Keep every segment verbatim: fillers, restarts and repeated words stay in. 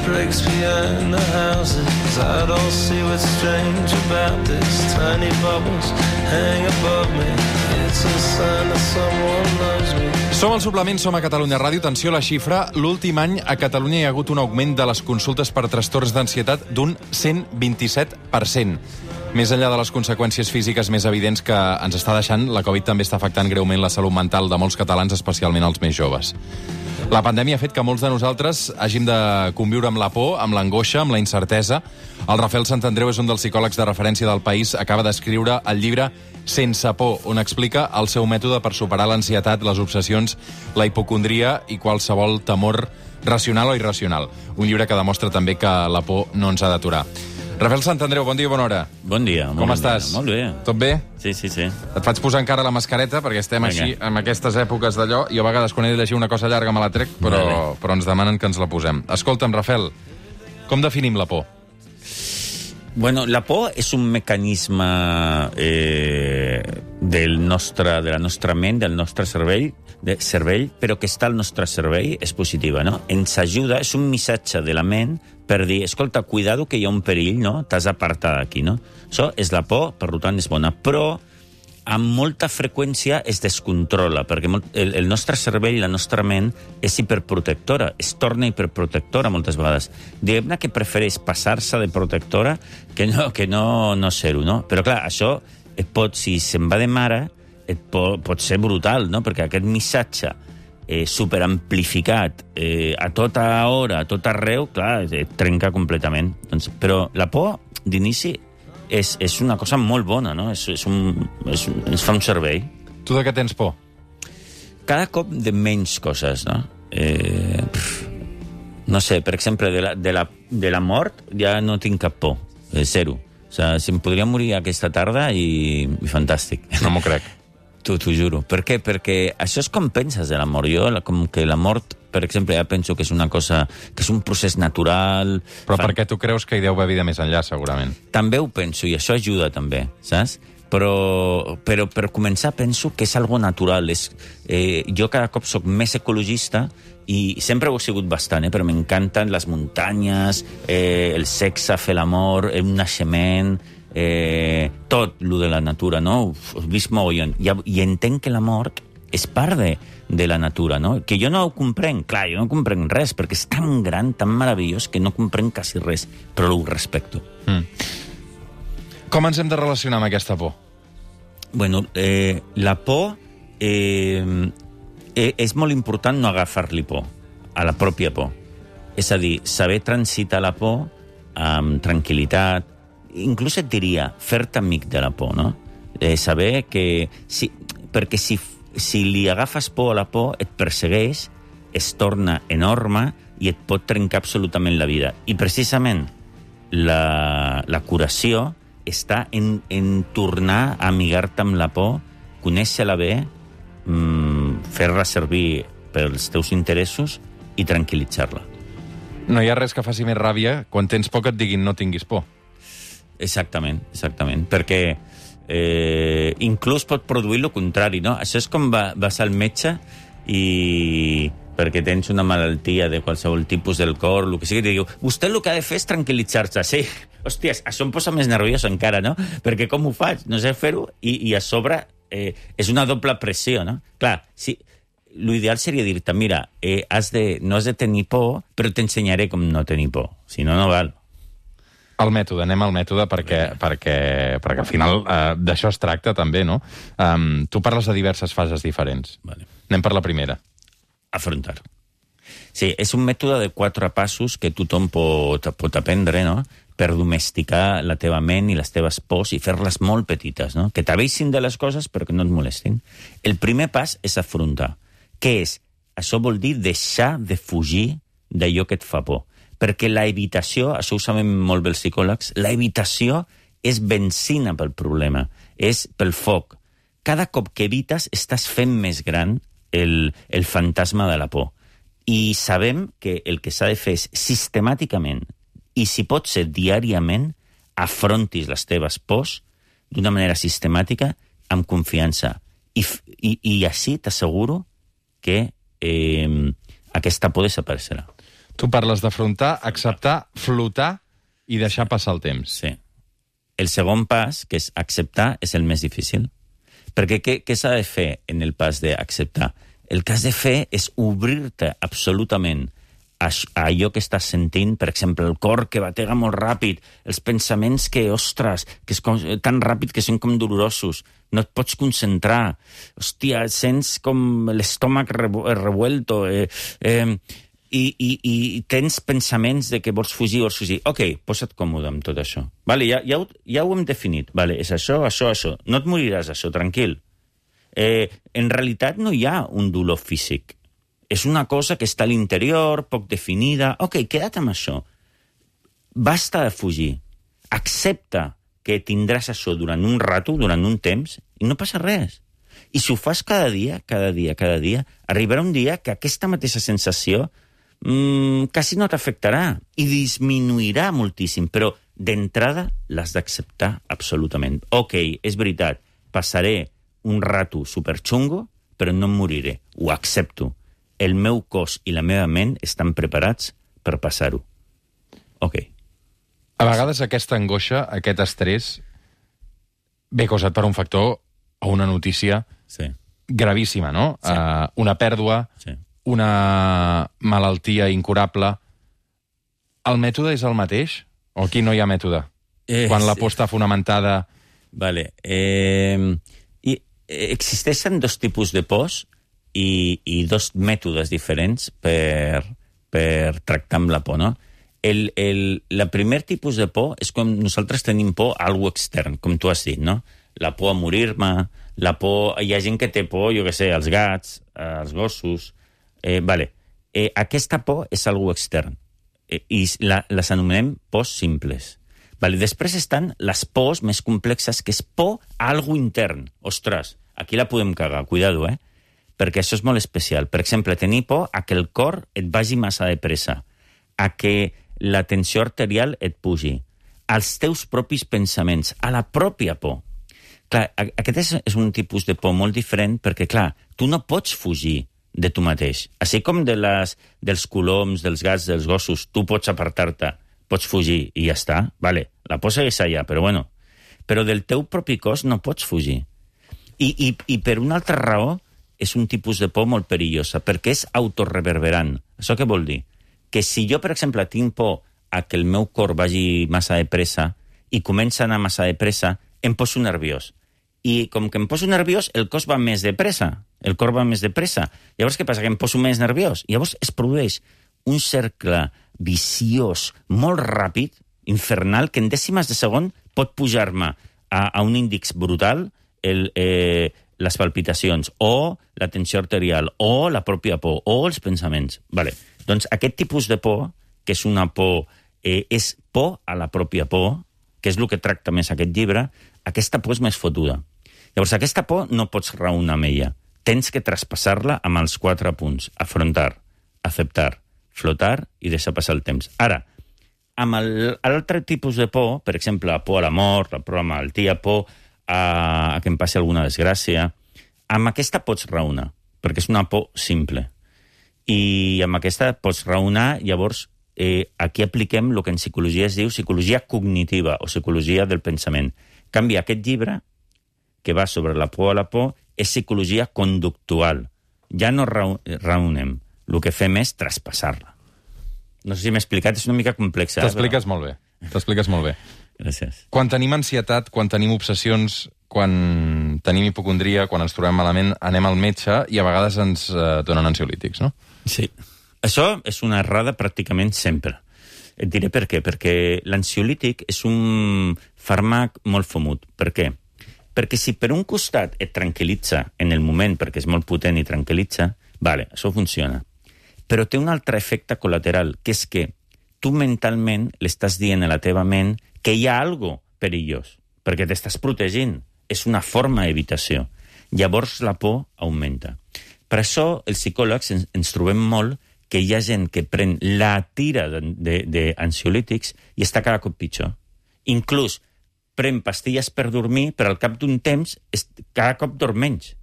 bricks behind the houses. I don't see what's strange about this. Tiny bubbles hang above me. It's a sign that someone loves me. Som al Suplement, som a Catalunya Ràdio. Atenció a la xifra. L'últim any a Catalunya hi ha hagut un augment de les consultes per trastorns d'ansietat d'un cent vint-i-set per cent. Més enllà de les conseqüències físiques més evidents que ens està deixant, la Covid també està afectant greument la salut mental de molts catalans, especialment els més joves. La pandèmia ha fet que molts de nosaltres hàgim de conviure amb la por, amb l'angoixa, amb la incertesa. El Rafael Santandreu és un dels psicòlegs de referència del país. Acaba d'escriure el llibre Sense por, on explica el seu mètode per superar l'ansietat, les obsessions, la hipocondria i qualsevol temor racional o irracional. Un llibre que demostra també que la por no ens ha d'aturar. Rafael Santandreu, bon dia i bona hora. Bon dia. Com estàs? Molt bé. Tot bé? Sí, sí, sí. Et faig posar encara la mascareta, perquè estem Vinga. així, en aquestes èpoques d'allò. Jo a vegades, quan he de llegir una cosa llarga, me la trec, però, Vale. però ens demanen que ens la posem. Escolta'm, Rafael, com definim la por? Bueno, la por és un mecanisme eh, del nostre, de la nostra ment, del nostre cervell, de cervell, però que està al nostre cervell, és positiva, no? Ens ajuda, és un missatge de la ment per dir, escolta, cuidado que hi ha un perill, no? T'has d'apartar d'aquí, no? Això és la por, per tant és bona, però amb molta freqüència es descontrola, perquè el, el nostre cervell, la nostra ment, és hiperprotectora, es torna hiperprotectora moltes vegades. Diguem-ne que prefereix passar-se de protectora que no, que no, no ser-ho, no? Però clar, això et pot, si se'n va de mare, et pot, pot ser brutal, no? Perquè aquest missatge eh, superamplificat eh, a tota hora, a tot arreu, clar, et trenca completament. Doncs, però la por, d'inici, És, és una cosa molt bona, no? És, és un, és, ens fa un servei. Tu de què tens por? Cada cop de menys coses, no? Eh, pff, no sé, per exemple, de la, de, la, de la mort ja no tinc cap por. Eh, zero. O sigui, si em podria morir aquesta tarda i, i fantàstic. No m'ho crec. T'ho juro. Per què? Perquè això és com penses de la mort. Jo, la, com que la mort, per exemple, ja penso que és una cosa, que és un procés natural. Però Fan... perquè tu creus que hi deu haver vida més enllà, segurament. També ho penso, i això ajuda també, saps? Però, però per començar penso que és algo natural. És, eh, jo cada cop sóc més ecologista i sempre ho he sigut bastant, eh, però m'encanten les muntanyes, eh, el sexe, fer l'amor, un naixement, eh, tot lo de la natura, no? Ho he vist mogollon. I, I entenc que la mort és part de, de la natura, no? Que jo no ho comprenc, clar, jo no comprenc res, perquè és tan gran, tan meravellós, que no comprenc quasi res, però ho respecto. Mm. Com ens hem de relacionar amb aquesta por? Bueno, eh, la por eh, eh, és molt important no agafar-li por, a la pròpia por. És a dir, saber transitar la por amb tranquil·litat, inclús et diria, fer-te amic de la por, no? Eh, saber que... Si, perquè si si li agafes por a la por, et persegueix, es torna enorme i et pot trencar absolutament la vida. I precisament la, la curació està en, en tornar a amigar-te amb la por, conèixer-la bé, mmm, fer-la servir pels teus interessos i tranquil·litzar-la. No hi ha res que faci més ràbia quan tens por que et diguin no tinguis por. Exactament, exactament, perquè eh, inclús pot produir el contrari, no? Això és com va, vas al metge i perquè tens una malaltia de qualsevol tipus del cor, el que sigui, i diu, vostè el que ha de fer és tranquil·litzar-se. Sí, hòsties, això em posa més nerviós encara, no? Perquè com ho faig? No sé fer-ho i, i a sobre eh, és una doble pressió, no? Clar, si... L'ideal seria dir-te, mira, eh, has de, no has de tenir por, però t'ensenyaré com no tenir por. Si no, no val. El mètode, anem al mètode, perquè, perquè, perquè al final eh, d'això es tracta també, no? Um, tu parles de diverses fases diferents. Vale. Anem per la primera. Afrontar. Sí, és un mètode de quatre passos que tothom pot, pot aprendre, no?, per domesticar la teva ment i les teves pors i fer-les molt petites, no?, que t'aveixin de les coses però que no et molestin. El primer pas és afrontar. Què és? Això vol dir deixar de fugir d'allò que et fa por. Perquè la evitació, això ho sabem molt bé els psicòlegs, la evitació és benzina pel problema, és pel foc. Cada cop que evites estàs fent més gran el, el fantasma de la por. I sabem que el que s'ha de fer és sistemàticament, i si pot ser diàriament, afrontis les teves pors d'una manera sistemàtica, amb confiança. I, i, i així t'asseguro que eh, aquesta por desapareixerà. Tu parles d'afrontar, acceptar, flotar i deixar passar el temps. Sí. El segon pas, que és acceptar, és el més difícil. Perquè què, què s'ha de fer en el pas d'acceptar? El que has de fer és obrir-te absolutament a, a allò que estàs sentint, per exemple, el cor que batega molt ràpid, els pensaments que, ostres, que és com, tan ràpid que són com dolorosos, no et pots concentrar, hòstia, sents com l'estómac revuelto, eh, eh, i, i, i tens pensaments de que vols fugir, vols fugir. Ok, posa't còmode amb tot això. Vale, ja, ja, ho, ja ho hem definit. Vale, és això, això, això. No et moriràs, això, tranquil. Eh, en realitat no hi ha un dolor físic. És una cosa que està a l'interior, poc definida. Ok, queda't amb això. Basta de fugir. Accepta que tindràs això durant un rato, durant un temps, i no passa res. I si ho fas cada dia, cada dia, cada dia, arribarà un dia que aquesta mateixa sensació mm, quasi no t'afectarà i disminuirà moltíssim, però d'entrada l'has d'acceptar absolutament. Ok, és veritat, passaré un rato superxungo, però no em moriré, ho accepto. El meu cos i la meva ment estan preparats per passar-ho. Ok. A vegades aquesta angoixa, aquest estrès, ve causat per un factor o una notícia sí. gravíssima, no? Sí. Uh, una pèrdua, sí. una malaltia incurable. El mètode és el mateix? O aquí no hi ha mètode? Eh, Quan la por està fonamentada... Vale. Eh, i, existeixen dos tipus de pors i, i dos mètodes diferents per, per tractar amb la por, no? El, el, la primer tipus de por és com nosaltres tenim por a algú extern, com tu has dit, no? La por a morir-me, la por... Hi ha gent que té por, jo què sé, als gats, als gossos... Eh, vale. Eh, aquesta por és algú extern eh, i la, les anomenem pors simples. Vale. Després estan les pors més complexes, que és por a algú intern. Ostres, aquí la podem cagar, cuidado, eh? Perquè això és molt especial. Per exemple, tenir por a que el cor et vagi massa de pressa, a que la tensió arterial et pugi, als teus propis pensaments, a la pròpia por. Clar, aquest és, és un tipus de por molt diferent perquè, clar, tu no pots fugir de tu mateix. Així com de les, dels coloms, dels gats, dels gossos, tu pots apartar-te, pots fugir i ja està. Vale, la por segueix allà, però bueno. Però del teu propi cos no pots fugir. I, i, i per una altra raó és un tipus de por molt perillosa, perquè és autorreverberant. Això què vol dir? Que si jo, per exemple, tinc por a que el meu cor vagi massa de pressa i comença a anar massa de pressa, em poso nerviós. I com que em poso nerviós, el cos va més de pressa, el cor va més de pressa. Llavors, què passa? Que em poso més nerviós. Llavors es produeix un cercle viciós, molt ràpid, infernal, que en dècimes de segon pot pujar-me a, a un índex brutal el, eh, les palpitacions, o la tensió arterial, o la pròpia por, o els pensaments. Vale. Doncs aquest tipus de por, que és una por, eh, és por a la pròpia por, que és el que tracta més aquest llibre, aquesta por és més fotuda. Llavors, aquesta por no pots raonar amb ella. Tens que traspassar-la amb els quatre punts. Afrontar, acceptar, flotar i deixar passar el temps. Ara, amb l'altre tipus de por, per exemple, la por a la mort, la por a la malaltia, por a, a que em passi alguna desgràcia, amb aquesta pots raonar, perquè és una por simple. I amb aquesta pots raonar, llavors, eh, aquí apliquem el que en psicologia es diu psicologia cognitiva o psicologia del pensament. En canvi, aquest llibre, que va sobre la por a la por, és psicologia conductual. Ja no raonem. El que fem és traspassar-la. No sé si m'he explicat, és una mica complexa. T'expliques però... molt bé. T'expliques molt bé. Gràcies. Quan tenim ansietat, quan tenim obsessions, quan tenim hipocondria, quan ens trobem malament, anem al metge i a vegades ens eh, donen ansiolítics, no? Sí. Això és una errada pràcticament sempre. Et diré per què. Perquè l'ansiolític és un fàrmac molt fumut. Per què? Perquè si per un costat et tranquil·litza en el moment, perquè és molt potent i tranquil·litza, vale, això funciona. Però té un altre efecte col·lateral, que és que tu mentalment l'estàs dient a la teva ment que hi ha algo perillós, perquè t'estàs protegint. És una forma d'evitació. Llavors la por augmenta. Per això els psicòlegs ens, ens trobem molt que hi ha gent que pren la tira d'ansiolítics i està cada cop pitjor. Inclús pren pastilles per dormir, però al cap d'un temps cada cop dorm menys.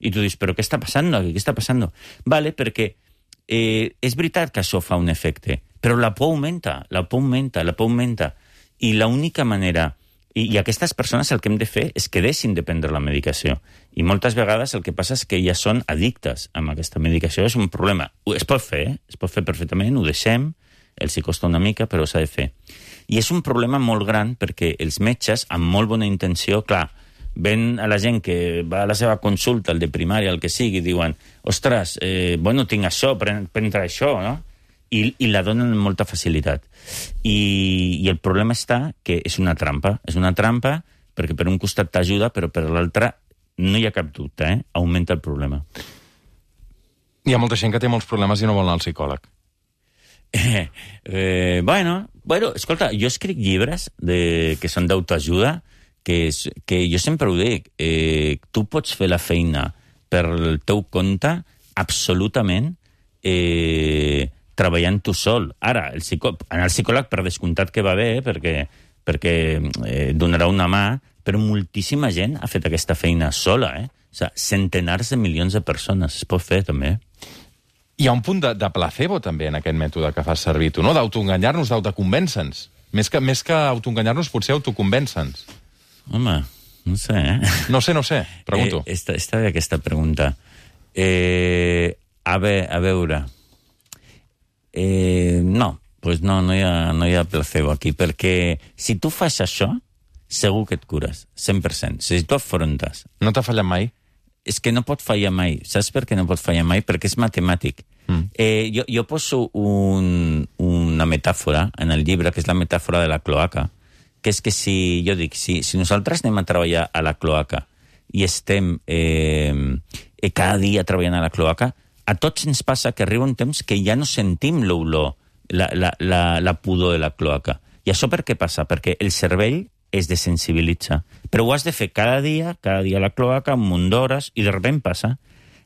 I tu dius, però què està passant aquí? Què està passant? Vale, perquè eh, és veritat que això fa un efecte, però la por augmenta, la por augmenta, la por augmenta. I l'única manera... I, I aquestes persones el que hem de fer és que deixin de prendre la medicació. I moltes vegades el que passa és que ja són addictes amb aquesta medicació. És un problema. Es pot fer, eh? Es pot fer perfectament, ho deixem, els hi costa una mica, però s'ha de fer. I és un problema molt gran perquè els metges, amb molt bona intenció, clar, ven a la gent que va a la seva consulta, el de primària, el que sigui, diuen, ostres, eh, bueno, tinc això, pren, prendre això, no? I, i la donen amb molta facilitat. I, I el problema està que és una trampa. És una trampa perquè per un costat t'ajuda, però per l'altre no hi ha cap dubte, eh? Augmenta el problema. Hi ha molta gent que té molts problemes i no vol anar al psicòleg. Eh, eh, bueno, bueno, escolta, jo escric llibres de, que són d'autoajuda, que, és, que jo sempre ho dic, eh, tu pots fer la feina per el teu compte absolutament eh, treballant tu sol. Ara, el psicò... anar al psicòleg per descomptat que va bé, eh, perquè, perquè eh, donarà una mà, però moltíssima gent ha fet aquesta feina sola, eh? O sigui, centenars de milions de persones es pot fer, també. Hi ha un punt de, de placebo, també, en aquest mètode que fas servir tu, no? D'autoenganyar-nos, d'autoconvèncer-nos. Més que, més que autoenganyar-nos, potser autoconvèncer-nos. Home, no sé, eh? No sé, no sé, pregunto. Eh, esta, esta bé aquesta pregunta. Eh, a, ve, a veure... Eh, no, pues no, no hi ha, no hi ha placebo aquí, perquè si tu fas això, segur que et cures, cent per cent. Si tu afrontes... No t'ha fallat mai? És que no pot fallar mai. Saps per què no pot fallar mai? Perquè és matemàtic. Mm. Eh, jo, jo poso un, una metàfora en el llibre, que és la metàfora de la cloaca, que és que si, jo dic, si, si nosaltres anem a treballar a la cloaca i estem eh, cada dia treballant a la cloaca, a tots ens passa que arriba un temps que ja no sentim l'olor, la, la, la, la pudor de la cloaca. I això per què passa? Perquè el cervell es desensibilitza. Però ho has de fer cada dia, cada dia a la cloaca, un munt d'hores, i de sobte passa.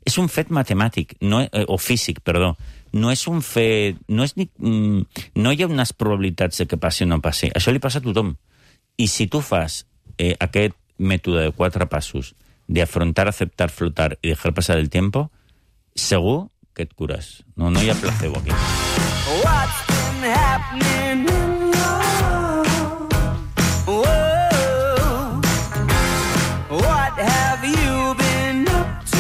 És un fet matemàtic, no, eh, o físic, perdó. No és un fet... No, és ni, mm, no hi ha unes probabilitats de que passi o no passi. Això li passa a tothom. I si tu fas eh, aquest mètode de quatre passos de afrontar, aceptar, flotar i dejar passar el tiempo, segur que et cures. No, no hi ha placebo aquí. What's been happening in love? Whoa. What have you been up to?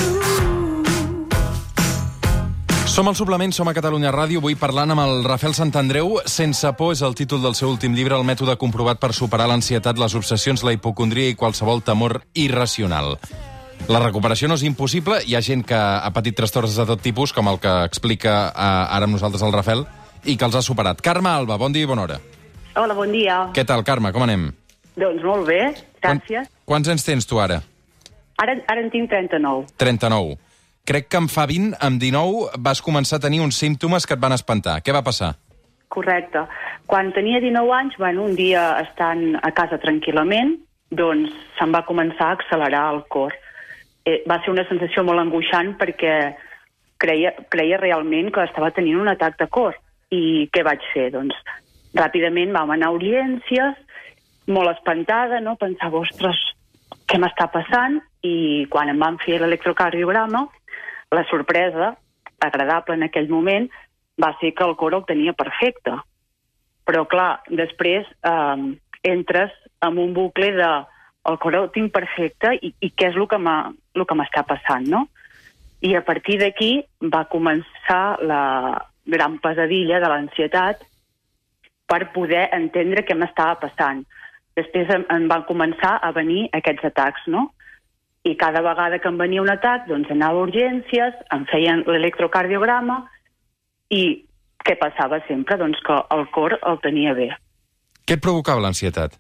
Som al Suplement, som a Catalunya Ràdio, avui parlant amb el Rafael Santandreu. Sense por és el títol del seu últim llibre, el mètode comprovat per superar l'ansietat, les obsessions, la hipocondria i qualsevol temor irracional. La recuperació no és impossible. Hi ha gent que ha patit trastorns de tot tipus, com el que explica eh, ara amb nosaltres el Rafael, i que els ha superat. Carme Alba, bon dia i bona hora. Hola, bon dia. Què tal, Carme? Com anem? Doncs molt bé, gràcies. Quan, quants anys tens tu ara? Ara, ara en tinc trenta-nou. trenta-nou. Crec que en fa vint, amb dinou, vas començar a tenir uns símptomes que et van espantar. Què va passar? Correcte. Quan tenia dinou anys, bueno, un dia estant a casa tranquil·lament, doncs se'm va començar a accelerar el cor. Eh, va ser una sensació molt angoixant perquè creia, creia realment que estava tenint un atac de cor. I què vaig fer? Doncs ràpidament vam anar a urgències, molt espantada, no? Pensava, ostres, què m'està passant? I quan em van fer l'electrocardiograma, la sorpresa, agradable en aquell moment, va ser que el cor el tenia perfecte. Però, clar, després eh, entres en un bucle de el cor el tinc perfecte i, i què és el que m'està passant, no? I a partir d'aquí va començar la gran pesadilla de l'ansietat per poder entendre què m'estava passant. Després em, em van començar a venir aquests atacs, no? I cada vegada que em venia un atac, doncs anava a urgències, em feien l'electrocardiograma i què passava sempre? Doncs que el cor el tenia bé. Què et provocava l'ansietat?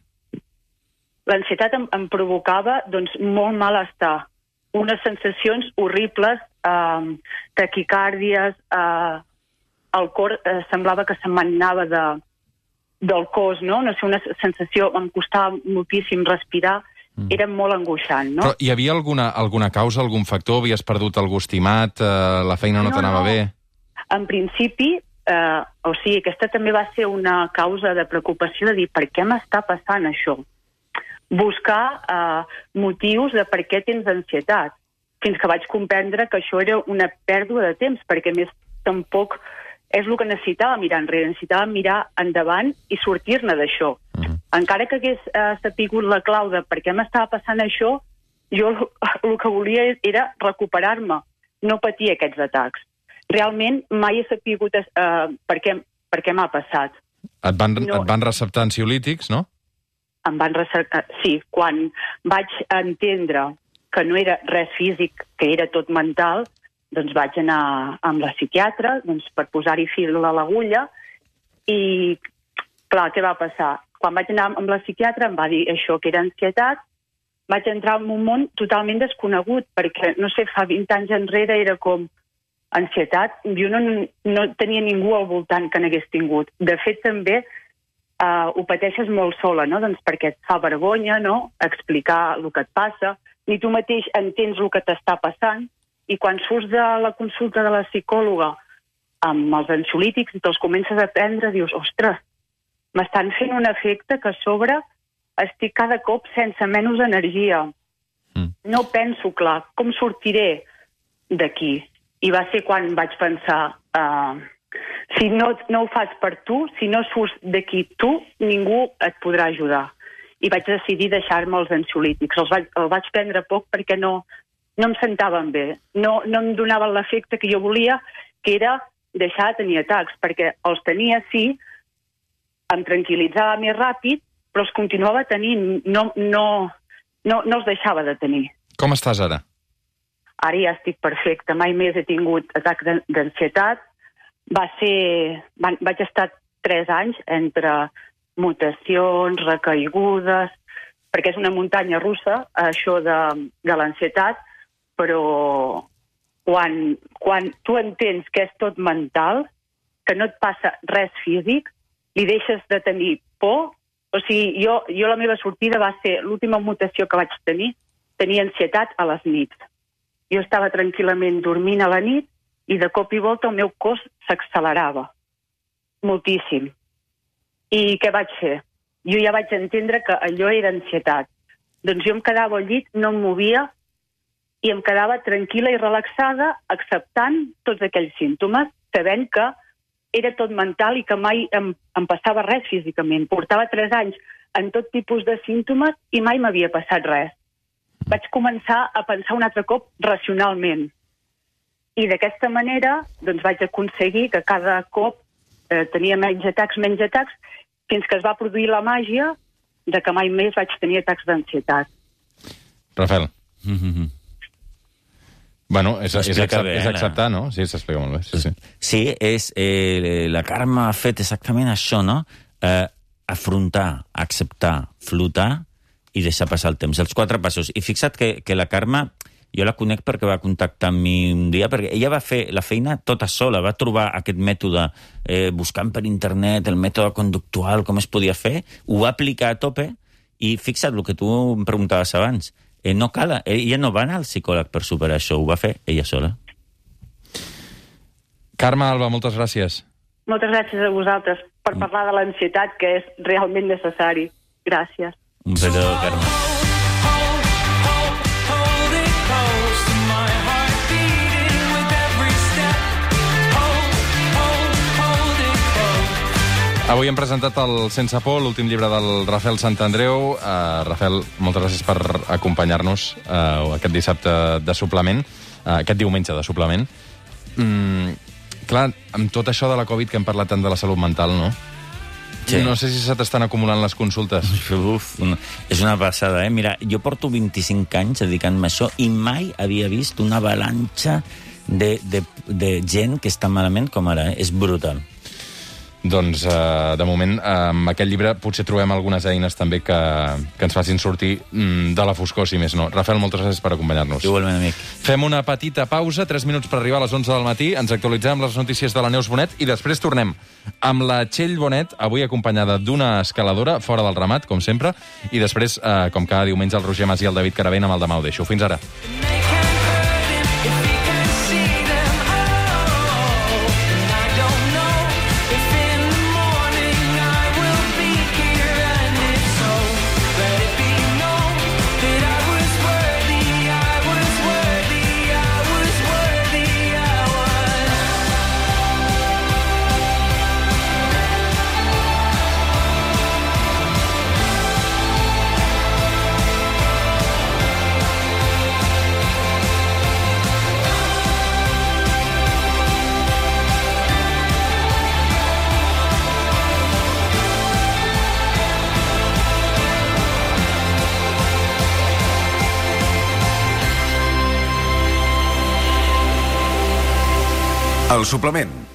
L'ansietat em, em provocava doncs, molt malestar, unes sensacions horribles, eh, taquicàrdies, eh, el cor eh, semblava que se'm anava de, del cos, no? No sé, una sensació, em costava moltíssim respirar, mm. era molt angoixant, no? Però hi havia alguna, alguna causa, algun factor? Havies perdut algú estimat? Eh, la feina no, no t'anava no. bé? En principi, eh, o sigui, aquesta també va ser una causa de preocupació de dir per què m'està passant això? Buscar eh, motius de per què tens ansietat, fins que vaig comprendre que això era una pèrdua de temps, perquè més tampoc és el que necessitava mirar enrere, necessitava mirar endavant i sortir-ne d'això. Uh-huh. Encara que hagués eh, sapigut la clau de per què m'estava passant això, jo el que volia era recuperar-me, no patir aquests atacs. Realment mai he sapigut eh, per què, per què m'ha passat. Et van, no, et van receptar ansiolítics, no? Em van receptar... Sí, quan vaig entendre que no era res físic, que era tot mental, doncs vaig anar amb la psiquiatra doncs, per posar-hi fil a l'agulla i, clar, què va passar? Quan vaig anar amb la psiquiatra em va dir això que era ansietat, vaig entrar en un món totalment desconegut, perquè, no sé, fa vint anys enrere era com ansietat, jo no, no tenia ningú al voltant que n'hagués tingut. De fet, també eh, ho pateixes molt sola, no? Doncs perquè et fa vergonya, no?, explicar el que et passa, ni tu mateix entens el que t'està passant, i quan surts de la consulta de la psicòloga amb els ansiolítics i te'ls comences a prendre, dius, ostres, m'estan fent un efecte que a sobre estic cada cop sense menys energia. Mm. No penso clar, com sortiré d'aquí? I va ser quan vaig pensar, uh, si no, no ho fas per tu, si no surts d'aquí tu, ningú et podrà ajudar. I vaig decidir deixar-me els ansiolítics. Els vaig, els vaig prendre poc perquè no... no em sentaven bé, no, no em donaven l'efecte que jo volia, que era deixar de tenir atacs, perquè els tenia, sí, em tranquil·litzava més ràpid, però els continuava tenint, no, no, no, no els deixava de tenir. Com estàs ara? Ara ja estic perfecta, mai més he tingut atac d'ansietat. Va ser... Van, vaig estar tres anys entre mutacions, recaigudes, perquè és una muntanya russa, això de, de l'ansietat, però quan, quan tu entens que és tot mental, que no et passa res físic, li deixes de tenir por. O sigui, jo, jo la meva sortida va ser l'última mutació que vaig tenir, tenia ansietat a les nits. Jo estava tranquil·lament dormint a la nit i de cop i volta el meu cos s'accelerava. Moltíssim. I què vaig fer? Jo ja vaig entendre que allò era ansietat. Doncs jo em quedava al llit, no em movia, i em quedava tranquil·la i relaxada acceptant tots aquells símptomes, sabent que era tot mental i que mai em, em passava res físicament. Portava tres anys en tot tipus de símptomes i mai m'havia passat res. Vaig començar a pensar un altre cop racionalment. I d'aquesta manera doncs, vaig aconseguir que cada cop eh, tenia menys atacs, menys atacs, fins que es va produir la màgia de que mai més vaig tenir atacs d'ansietat. Rafael. Mm-hmm. Bueno, és, és, accept, bé, és acceptar, no? Sí, s'explica molt bé. Sí, sí. sí és, eh, la Carme ha fet exactament això, no? Eh, afrontar, acceptar, flotar i deixar passar el temps. Els quatre passos. I fixa't que, que la Carme, jo la conec perquè va contactar amb mi un dia, perquè ella va fer la feina tota sola, va trobar aquest mètode eh, buscant per internet, el mètode conductual, com es podia fer, ho va aplicar a tope, i fixa't el que tu em preguntaves abans. Eh, no cal, ella no va anar al psicòleg per superar això, ho va fer ella sola. Carme Alba, moltes gràcies. Moltes gràcies a vosaltres per parlar de l'ansietat, que és realment necessari. Gràcies. Un petó, Carme. Avui hem presentat el Sense por, l'últim llibre del Rafael Santandreu. Uh, Rafael, moltes gràcies per acompanyar-nos uh, aquest dissabte de suplement, uh, aquest diumenge de suplement. Mm, clar, amb tot això de la Covid, que hem parlat tant de la salut mental, no? Sí. No sé si se t'estan acumulant les consultes. Uf, una, és una passada, eh? Mira, jo porto vint-i-cinc anys dedicant-me a això i mai havia vist una avalanxa de, de, de gent que està malament com ara, eh? És brutal. Doncs, eh, de moment, eh, amb aquest llibre potser trobem algunes eines també que, que ens facin sortir mm, de la foscor, si més no. Rafael, moltes gràcies per acompanyar-nos. Igualment, amic. Fem una petita pausa, tres minuts per arribar a les onze del matí, ens actualitzem amb les notícies de la Neus Bonet i després tornem amb la Txell Bonet, avui acompanyada d'una escaladora, fora del ramat, com sempre, i després, eh, com cada diumenge, el Roger Mas i el David Caravent amb el Demà ho deixo. Fins ara. El suplement,